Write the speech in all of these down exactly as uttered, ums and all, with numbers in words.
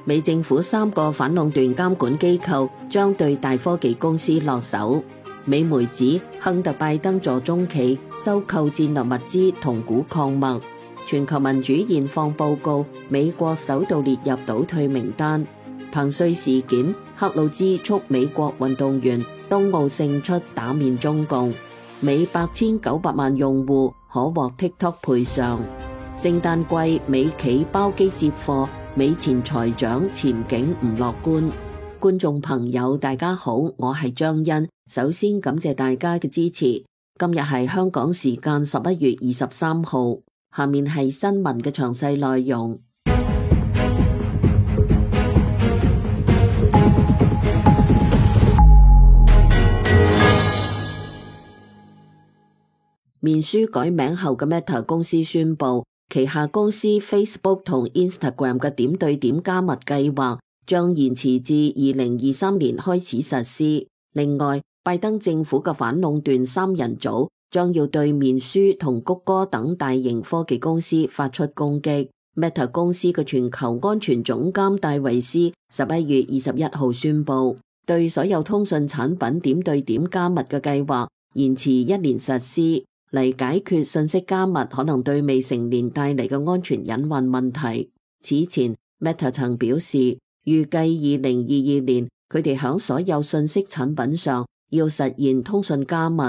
美政府三個反壟斷監管機構將對大科技公司落手。美媒指亨特拜登助中企收購戰略物資同鈷礦物。全球民主現況報告，美國首度列入倒退名單。彭帥事件，克魯茲促美國運動員東奧勝出打面中共。美八千九百萬用戶可獲 TikTok 賠償。聖誕季美企包機接貨，美前財長前景唔樂觀。觀眾朋友大家好，我係張欣，首先感謝大家嘅支持。今日係香港時間十一月二十三號，下面係新聞嘅詳細內容。面書改名後嘅 Meta 公司宣布，旗下公司 Facebook 同 Instagram 嘅點對點加密計劃將延遲至二零二三年開始實施。另外，拜登政府嘅反壟斷三人組將要對面書同谷歌等大型科技公司發出攻擊。Meta 公司嘅全球安全總監戴維斯十一月二十一號宣布，對所有通訊產品點對點加密嘅計劃延遲一年實施，嚟解決信息加密可能對未成年帶嚟嘅安全隱患問題。此前 Meta 曾表示，預計二零二二年佢哋響所有信息產品上要實現通訊加密。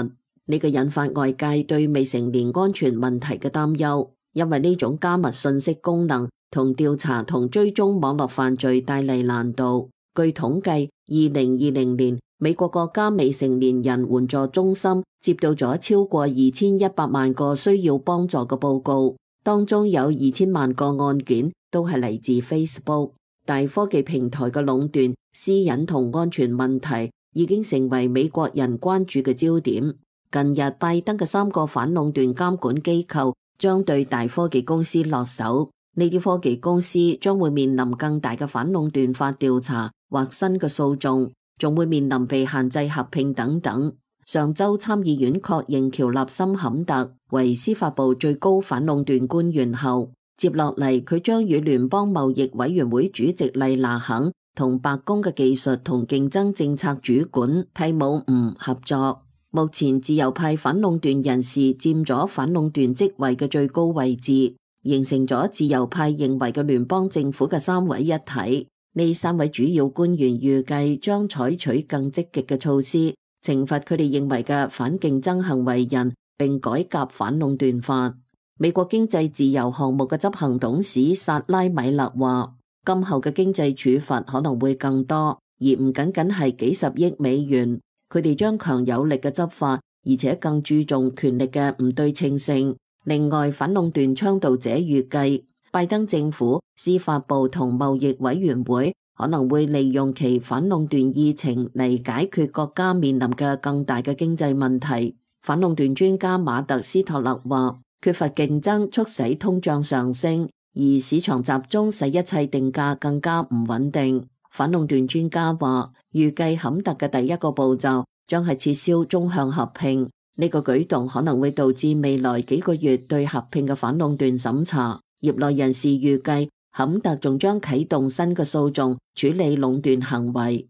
呢個引發外界對未成年安全問題嘅擔憂，因為呢種加密信息功能同調查同追蹤網絡犯罪帶嚟難度。據統計，二零二零年美國國家未成年人援助中心接到咗超過二千一百萬個需要幫助嘅報告，當中有二千萬個案件都係嚟自 Facebook。大科技平台嘅壟斷、私隱同安全問題已經成為美國人關注嘅焦點。近日，拜登嘅三個反壟斷監管機構將對大科技公司落手，呢啲科技公司將會面臨更大嘅反壟斷法調查或新嘅訴訟，仲會面臨被限制合併等等。上周參議院確認喬納森坎特為司法部最高反壟斷官員後，接落嚟佢將與聯邦貿易委員會主席麗娜肯同白宮嘅技術同競爭政策主管蒂姆吳合作。目前自由派反壟斷人士佔咗反壟斷職位嘅最高位置，形成咗自由派認為嘅聯邦政府嘅三位一體。呢三位主要官員預計將採取更積極嘅措施，懲罰佢哋認為嘅反競爭行為人，並改革反壟斷法。美國經濟自由項目嘅執行董事薩拉米勒話，今後嘅經濟處罰可能會更多，而唔僅僅係幾十億美元。佢哋將強有力嘅執法，而且更注重權力嘅唔對稱性。另外，反壟斷倡導者預計，拜登政府、司法部同貿易委員會可能會利用其反壟斷議程嚟解決國家面臨嘅更大嘅經濟問題。反壟斷專家馬特斯托勒話，缺乏競爭促使通脹上升，而市場集中使一切定價更加唔穩定。反壟斷專家話，預計坎特嘅第一個步驟將係撤銷縱向合併，呢個舉動可能會導致未來幾個月對合併嘅反壟斷審查。業內人士預計，坎特仲將啟動新嘅訴訟處理壟斷行為。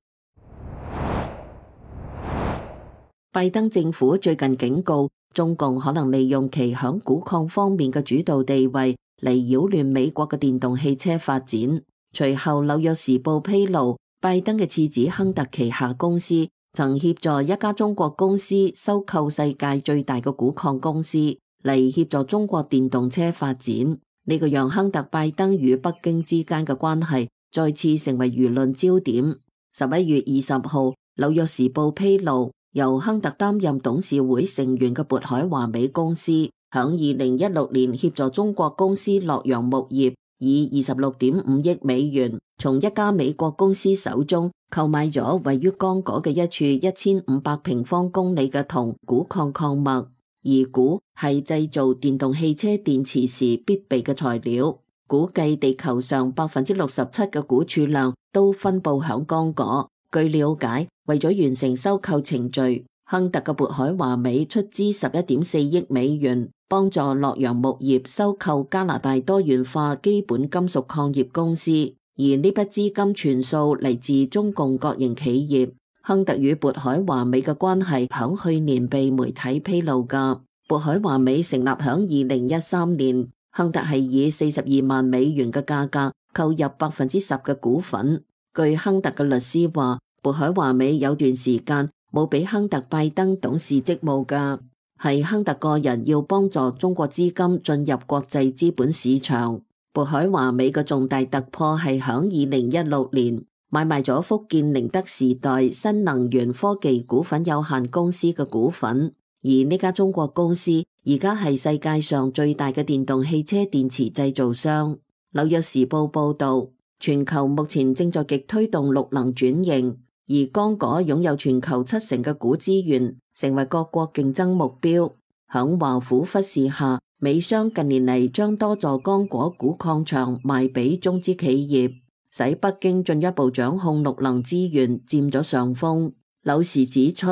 拜登政府最近警告，中共可能利用其響鈷礦方面嘅主導地位嚟擾亂美國嘅電動汽車發展。隨後，紐約時報披露，拜登嘅次子亨特旗下公司曾協助一家中國公司收購世界最大嘅鈷礦公司，嚟協助中國電動車發展。呢個讓亨特拜登與北京之間嘅關係再次成為輿論焦點。十一月二十號，紐約時報披露，由亨特擔任董事會成員嘅渤海華美公司，響二零一六年協助中國公司洛陽木業以二十六點五億美元從一家美國公司手中購買咗位於剛果嘅一處一千五百平方公里嘅銅鈷礦礦物，而鈷係製造電動汽車電池時必備嘅材料。估計地球上百分之六十七嘅鈷儲量都分布響剛果。據了解，為咗完成收購程序，亨特嘅渤海華美出資十一點四億美元，幫助洛陽木業收購加拿大多元化基本金屬礦業公司。而呢筆資金全數嚟自中共國營企業。亨特與渤海華美嘅關係響去年被媒體披露㗎。渤海華美成立響二零一三年，亨特係以四十二萬美元嘅價格購入百分之十嘅股份。據亨特嘅律師話，渤海華美有段時間冇俾亨特拜登董事職務㗎，係亨特個人要幫助中國資金進入國際資本市場。渤海華美嘅重大突破係響二零一六年買賣咗福建寧德時代新能源科技股份有限公司嘅股份，而呢家中國公司而家係世界上最大嘅電動汽車電池製造商。紐約時報報道，全球目前正在極推動綠能轉型，而剛果擁有全球七成嘅鈷資源，成為各國競爭目標。響華府忽視下，美商近年嚟將多座剛果鈷礦場賣俾中資企業，使北京進一步掌控綠能資源，佔咗上風。柳時指出，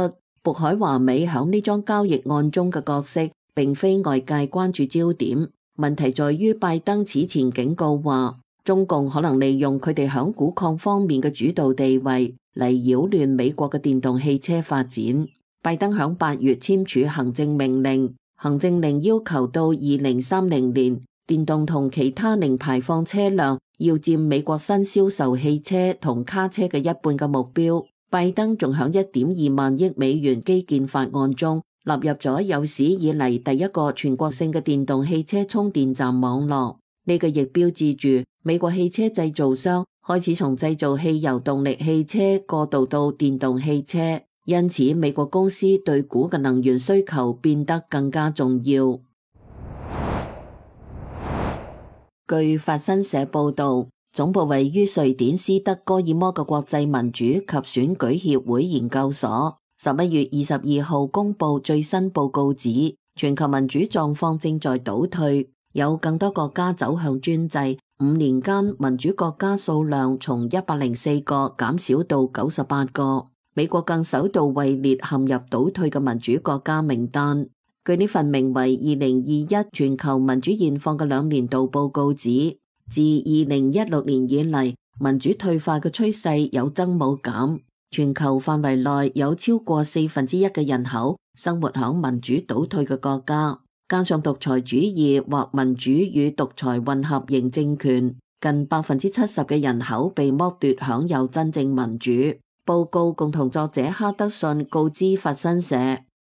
渤海華美響呢樁交易案中嘅角色並非外界關注焦點，問題在於拜登此前警告話，中共可能利用佢哋響鈷礦方面嘅主導地位嚟擾亂美國嘅電動汽車發展。拜登響八月簽署行政命令，行政令要求到二零三零年，電動同其他零排放車輛要佔美國新銷售汽車同卡車嘅一半嘅目標。拜登仲響一點二萬億美元基建法案中納入咗有史以嚟第一個全國性嘅電動汽車充電站網絡。呢個亦標誌住美國汽車製造商開始從製造汽油動力汽車過渡到電動汽車，因此美國公司對鈷嘅能源需求變得更加重要。據法新社報道，總部位於瑞典斯德哥爾摩嘅國際民主及選舉協會研究所十一月二十二號公布最新報告指，全球民主狀況正在倒退，有更多國家走向專制，五年間民主國家數量從一百零四個減少到九十八個，美國更首度位列陷入倒退嘅民主國家名單。據呢份名為二零二一全球民主現況嘅兩年度報告指，自二零一六年以嚟，民主退化嘅趨勢有增冇減，全球範圍內有超過四分之一嘅人口生活響民主倒退嘅國家，加上獨裁主義或民主與獨裁混合型政權，近百分之七十嘅人口被剝奪享有真正民主。報告共同作者哈德遜告知法新社，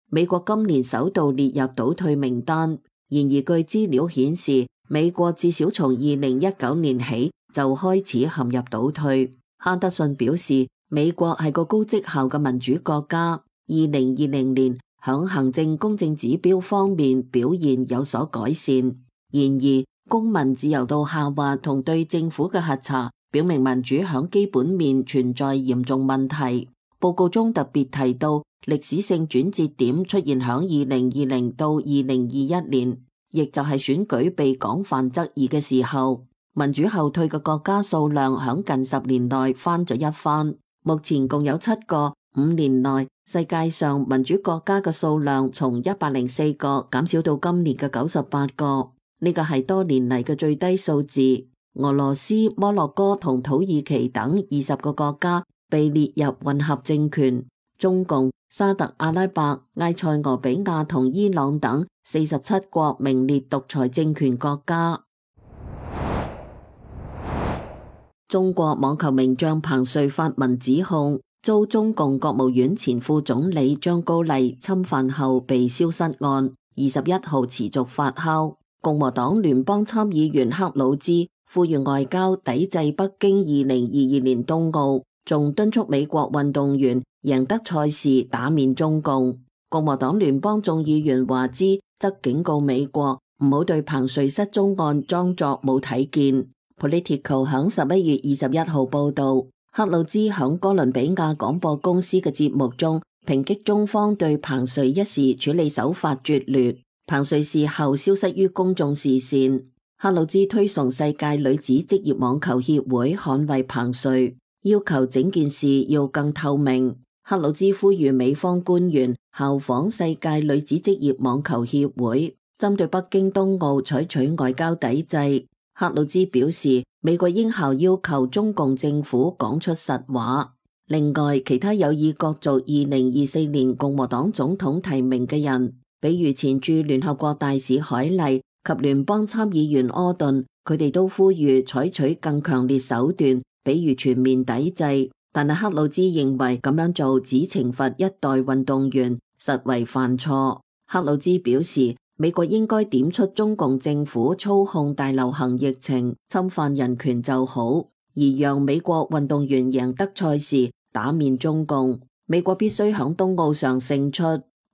美國今年首度列入倒退名單，然而據資料顯示，美國至少從二零一九年起就開始陷入倒退。哈德遜表示，美國係個高績效嘅民主國家，二零二零年響行政公正指標方面表現有所改善。然而，公民自由度下滑同對政府嘅核查表明民主響基本面存在嚴重問題。報告中特別提到，歷史性轉折點出現響二零二零到二零二一年，亦就係選舉被廣泛質疑嘅時候。民主後退嘅國家數量響近十年內翻咗一番，目前共有七個。五年內，世界上民主國家嘅數量從一百零四個減少到今年嘅九十八個，呢個係多年嚟嘅最低數字。俄羅斯、摩洛哥同土耳其等二十個國家被列入混合政權，中共、沙特阿拉伯、埃塞俄比亞同伊朗等四十七國名列獨裁政權國家。中國網球名將彭帥發文指控，遭中共國務院前副總理張高麗侵犯後被消失案，二十一號持續發酵。共和黨聯邦參議員克魯茲呼籲外交抵制北京二零二二年冬奧，仲敦促美國運動員贏得賽事打面中共。共和黨聯邦眾議員華茲則警告美國唔好對彭帥失蹤案裝作冇睇見。Politico 響十一月二十一號報道，克魯茲響哥倫比亞廣播公司嘅節目中抨擊中方對彭帥一事處理手法拙劣，彭帥事後消失於公眾視線。克魯茲推崇世界女子職業網球協會捍衛彭帥，要求整件事要更透明。克魯茲呼籲美方官員效仿世界女子職業網球協會，針對北京冬奧採取外交抵制。克魯茲表示，美國應效要求中共政府講出實話。另外，其他有意角逐二零二四年共和黨總統提名嘅人，比如前駐聯合國大使海莉及聯邦參議員柯頓，佢哋都呼籲採取更強烈手段，比如全面抵制。但係克魯茲認為咁樣做只懲罰一代運動員，實為犯錯。克魯茲表示，美國應該點出中共政府操控大流行疫情、侵犯人權就好，而讓美國運動員贏得賽事，打面中共。美國必須響冬奧上勝出。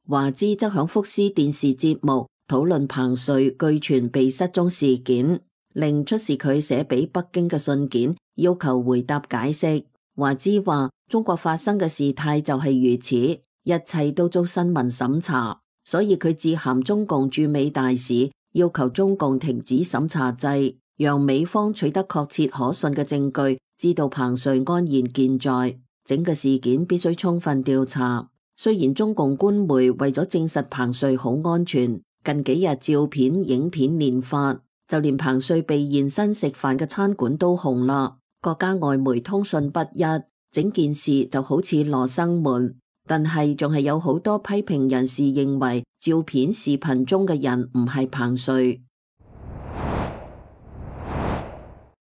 華茲則響福斯電視節目討論彭帥據傳被失蹤事件，令出示佢寫俾北京嘅信件，要求回答解釋。華茲話：中國發生嘅事態就係如此，一切都遭新聞審查。所以佢致函中共駐美大使，要求中共停止審查制，讓美方取得確切可信嘅證據，知道彭帥安然健在。整個事件必須充分調查。雖然中共官媒為咗證實彭帥好安全，近幾日照片、影片連發，就連彭帥被現身食飯嘅餐館都紅啦。國家外媒通訊不一，整件事就好似羅生門。但係仲係有好多批評人士認為照片視頻中嘅人唔係彭帥。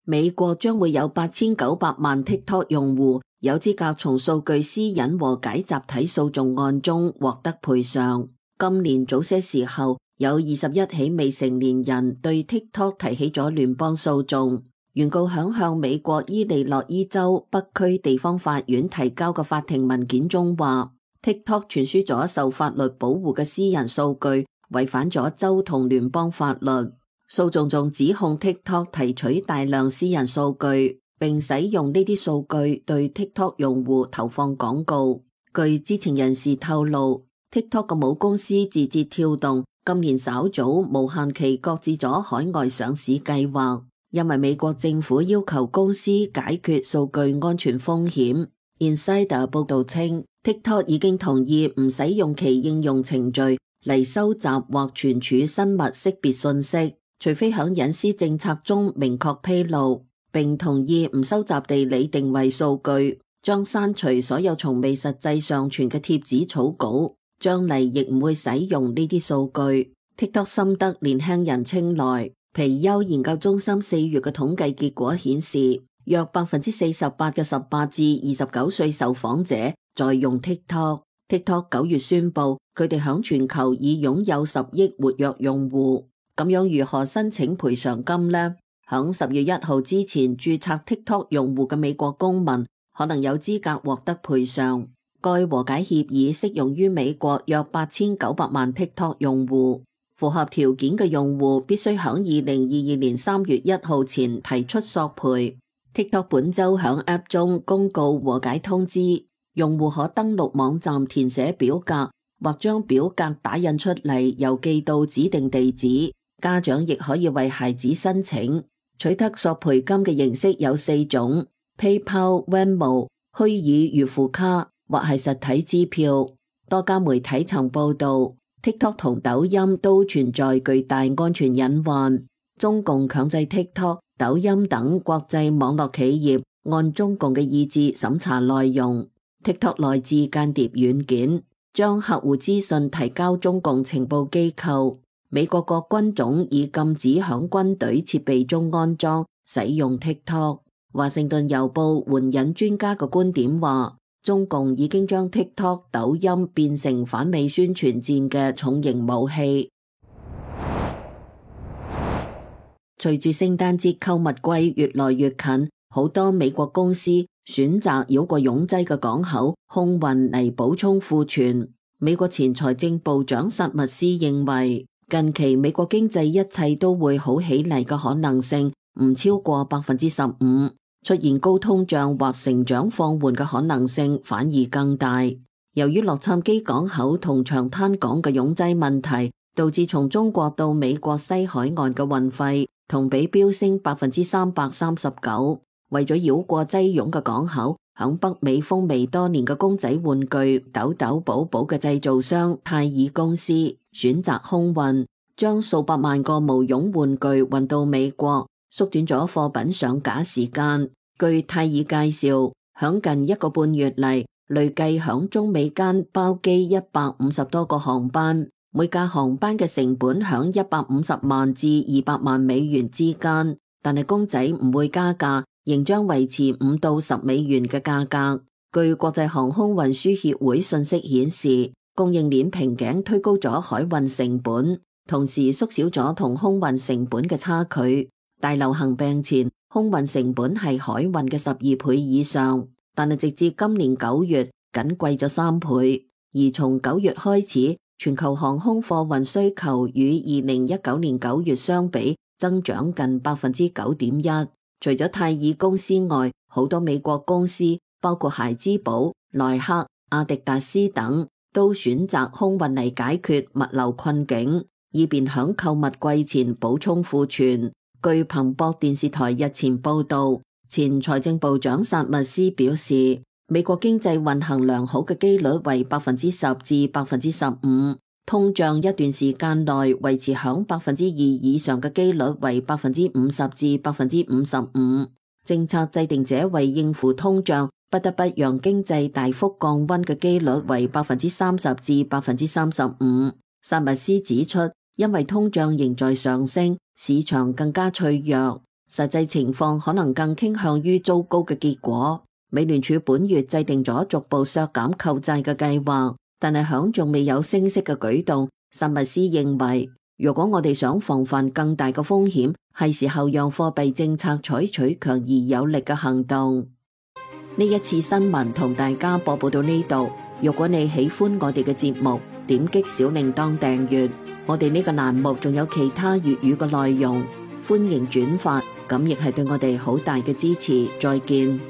美國將會有八千九百萬 TikTok 用戶有資格從數據私隱和解集體訴訟案中獲得賠償。今年早些時候，有二十一起未成年人對 TikTok 提起咗聯邦訴訟。原告響向美國伊利諾伊州北區地方法院提交嘅法庭文件中話 ，TikTok 傳輸咗受法律保護嘅私人數據，違反咗州同聯邦法律。訴訟仲指控 TikTok 提取大量私人數據，並使用呢啲數據對 TikTok 用戶投放廣告。據知情人士透露 ，TikTok 嘅母公司字節跳動今年稍早無限期擱置咗海外上市計劃。因為美國政府要求公司解決數據安全風險。Insider 報道稱 ，TikTok 已經同意唔使用其應用程序嚟收集或存儲生物識別信息，除非響隱私政策中明確披露，並同意唔收集地理定位數據，將刪除所有從未實際上傳嘅貼紙草稿，將來亦唔會使用呢啲數據。TikTok 深得年輕人青睞。皮尤研究中心四月嘅統計結果顯示，約百分之四十八嘅十八至二十九歲受訪者在用 TikTok。TikTok 九月宣布，佢哋響全球已擁有十億活躍用戶。咁樣如何申請賠償金呢？響十月一號之前註冊 TikTok 用戶嘅美國公民可能有資格獲得賠償。該和解協議適用於美國約八千九百萬 TikTok 用戶。符合條件嘅用戶必須響二零二二年三月一號前提出索賠。TikTok 本周響 App 中公告和解通知，用戶可登錄網站填寫表格，或將表格打印出嚟郵寄到指定地址。家長亦可以為孩子申請。取得索賠金嘅形式有四種 ：PayPal、Venmo、虛擬預付卡或係實體支票。多家媒體曾報道，TikTok 同抖音都存在巨大安全隱患。中共強制 TikTok、抖音等國際網絡企業按中共嘅意志審查內容。TikTok 內置間諜軟件，將客戶資訊提交中共情報機構。美國各軍種已禁止響軍隊設備中安裝使用 TikTok。華盛頓郵報援引專家嘅觀點話，中共已經將 TikTok、抖音變成反美宣傳戰嘅重型武器。隨住聖誕節購物季越來越近，好多美國公司選擇繞過擁擠嘅港口空運嚟補充庫存。美國前財政部長薩默斯認為，近期美國經濟一切都會好起嚟嘅可能性唔超過百分之十五。出現高通脹或成長放緩嘅可能性反而更大。由於洛杉磯港口同長灘港嘅擁擠問題，導致從中國到美國西海岸嘅運費同比飆升百分之三百三十九。為咗繞過擠擁嘅港口，響北美風靡多年嘅公仔玩具豆豆寶寶嘅製造商泰爾公司選擇空運，將數百萬個毛絨玩具運到美國。縮短咗貨品上架時間。據泰爾介紹，響近一個半月嚟，累計響中美間包機一百五十多個航班，每架航班嘅成本響一百五十萬至二百萬美元之間，但係公仔唔會加價，仍將維持五到十美元嘅價格。據國際航空運輸協會信息顯示，供應鏈瓶頸推高咗海運成本，同時縮小咗同空運成本嘅差距。大流行病前，空運成本係海運嘅十二倍以上，但係直至今年九月，僅貴咗三倍。而從九月開始，全球航空貨運需求與二零一九年九月相比，增長近百分之九點一。除咗泰爾公司外，好多美國公司，包括孩之寶、耐克、阿迪達斯等，都選擇空運嚟解決物流困境，以便響購物季前補充庫存。據彭博電視台日前報道，前財政部長薩密斯表示，美國經濟運行良好嘅機率為百分之十至百分之十五，通脹一段時間內維持響百分之二以上嘅機率為百分之五十至百分之五十五。政策制定者為應付通脹，不得不讓經濟大幅降溫嘅機率為百分之三十至百分之三十五。薩密斯指出，因為通脹仍在上升，市場更加脆弱，實際情況可能更傾向於糟糕嘅結果。美聯儲本月制定咗逐步削減購債嘅計劃，但係響仲未有升息嘅舉動。薩密斯認為，如果我哋想防範更大嘅風險，係時候讓貨幣政策採取強而有力嘅行動。呢一次新聞同大家播報到呢度。如果你喜歡我哋嘅節目，點擊小鈴鐺訂閱。我哋呢個欄目仲有其他粵語嘅內容，歡迎轉發，咁亦係對我哋好大嘅支持。再見。